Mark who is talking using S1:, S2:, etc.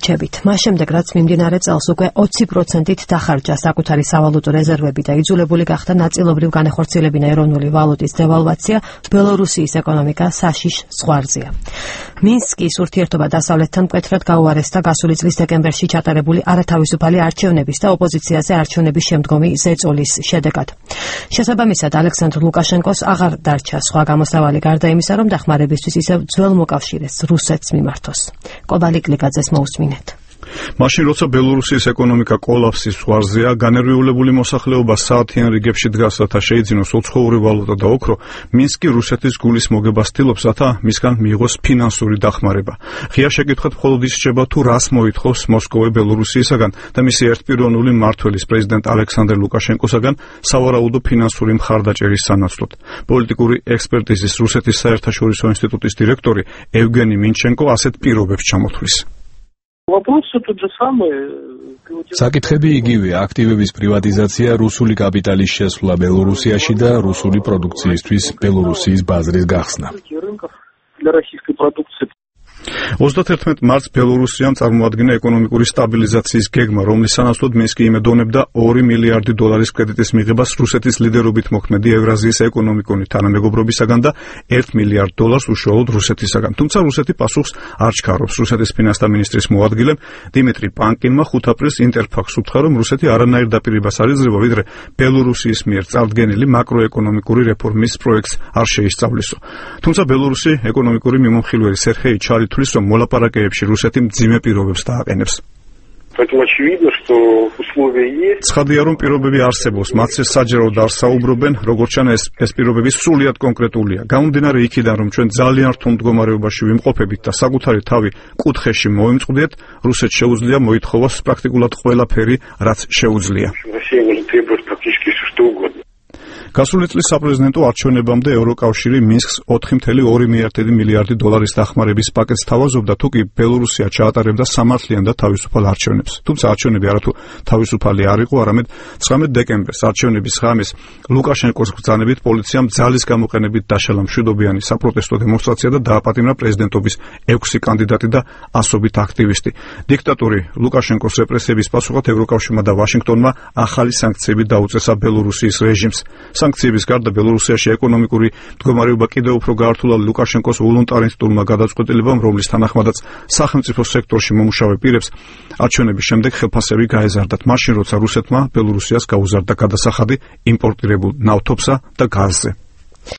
S1: რჩებით. მას შემდეგ, რაც მიმდინარე წელს უკვე 20%-ით დახარჯა საკუთარი სავალუტო რეზერვები და იძულებული გახდა ნაწილობრივ განახორციელებინა ეროვნული ვალუტის დევალვაცია, ბელორუსიის ეკონომიკა საშიშ ზღვარზეა. მინსკის ურთიერთობა დასავლეთთან მკვეთრად გაუარესდა გასული წლის დეკემბერში ჩატარებული არათავისუფალი არჩევნების და ოპოზიციაზე არჩევნების შემდგომი ზეწოლის შედეგად. შესაბამისად, ალექსანდრ ლუკაშენკოს აღარ დარჩა სხვა გამოსავალი გარდა იმისა, რომ დახმარებისთვის ისევ ძველ მოკავშირეს რუსეთს მიმართოს. კობალი კლიკაძეს მოусმინეთ.
S2: მაშინ როცა ბელორუსიის ეკონომიკა კოლაფსის ზღვარზეა, განერვიულებული მოსახლეობა საათიან რიგებში დგას, რათა შეიძინოს უცხოური ვალუტა და ოქრო, მინსკი რუსეთის გულის მოგებას ცდილობს, რათა მისგან მიიღოს ფინანსური დახმარება. ღია შეკითხვით მხოლოდ ის რჩება, თუ რას მოითხოვს მოსკოვი ბელორუსიისაგან და მისი ერთპიროვნული მმართველის პრეზიდენტ ალექსანდრ ლუკაშენკოსაგან სავარაუდო ფინანსური მხარდაჭერის სანაცვლოდ. პოლიტიკური ექსპერტიზის რუსეთის საერთაშორისო ინსტიტუტის დირექტორი ევგენი მინჩენკო ასეთ პირობებს ჩამოთვლის.
S3: საკითხები იგივეა: აქტივების პრივატიზაცია, რუსული კაპიტალის შესვლა ბელორუსიაში და რუსული პროდუქციისთვის ბელორუსიის ბაზრის გახსნა.
S2: 31 მარტს ბელორუსიამ წარმოადგინა ეკონომიკური სტაბილიზაციის გეგმა, რომლის სანაცვლოდ მინსკი იმედოვნებდა 2 მილიარდი დოლარის კრედიტის მიღებას რუსეთის ლიდერობით მოქმედი ევრაზიის ეკონომიკური თანამეგობრობისაგან და 1 მილიარდ დოლარს უშუალოდ რუსეთისაგან. თუმცა რუსეთი პასუხს არ ჩქარობს. რუსეთის ფინანსთა მინისტრის მოადგილემ დიმიტრი პანკინმა 5 აპრილს ინტერფაქს უთხრა, რომ რუსეთი არანაირ დაპირებას არ იძლევა, ვიდრე ბელორუსიის მიერ წარდგენილი მაკროეკონომიკური რეფორმის პროექტს არ შეისწავლისო. თუმცა ბელორუსი ეკონომიკური მიმომხილველი სერხეი ჩალი თulis, რომ მოლაპარაკებებში რუსეთი მძიმე პირობებს დააყენებს. ცხადია, რომ პირობები არსებობს, მათზე საჯაროდ არ საუბრობენ, როგორც ჩანა ეს პირობები სრულიად კონკრეტულია. გამომდინარე იქიდან, რომ ჩვენ ძალიან რთულ მდგომარეობაში ვიმყოფებით და საკუთარი თავი კუთხეში მოვიმწყდეთ, რუსეთს შეუძლია მოითხოვოს პრაქტიკულად ყველაფერი, რაც შეუძლია. გასული წლის საპრეზიდენტო არჩევნებამდე ევროკავშირი მინსკს 4,2 მილიარდი დოლარის დახმარების პაკეტს თავაზობდა, თუ კი ბელორუსია ჩაატარებდა სამართლიან და თავისუფალ არჩევნებს. თუმცა არჩევნები არათუ თავისუფალი არ იყო, არამედ 19 დეკემბერს არჩევნების ღამეს ლუკაშენკოს ბრძანებით პოლიციამ ძალის გამოყენებით დაშალა მშვიდობიანი საპროტესტო დემონსტრაცია და დააპატიმრა პრეზიდენტობის 6 კანდიდატი და ასობით აქტივისტი. დიქტატორი ლუკაშენკოს რეპრესიების პასუხად ევროკავშირმა და ვაშინგტონმა ახალი სანქციები დაუწესა ბელორუსიის რეჟიმს. სანქციების გარდა ბელორუსიაში ეკონომიკური მდგომარეობა კიდევ უფრო გაართულა ლუკაშენკოს ვოლუნტარისტულმა გადაწყვეტილებამ, რომლის თანახმადაც სახელმწიფო სექტორში მომუშავე პირებს არჩევნების შემდეგ ხელფასები გაეზარდათ, მაშინ როცა რუსეთმა ბელორუსიას გაუზარდა გადასახადი იმპორტირებულ ნავთობსა და გაზზე.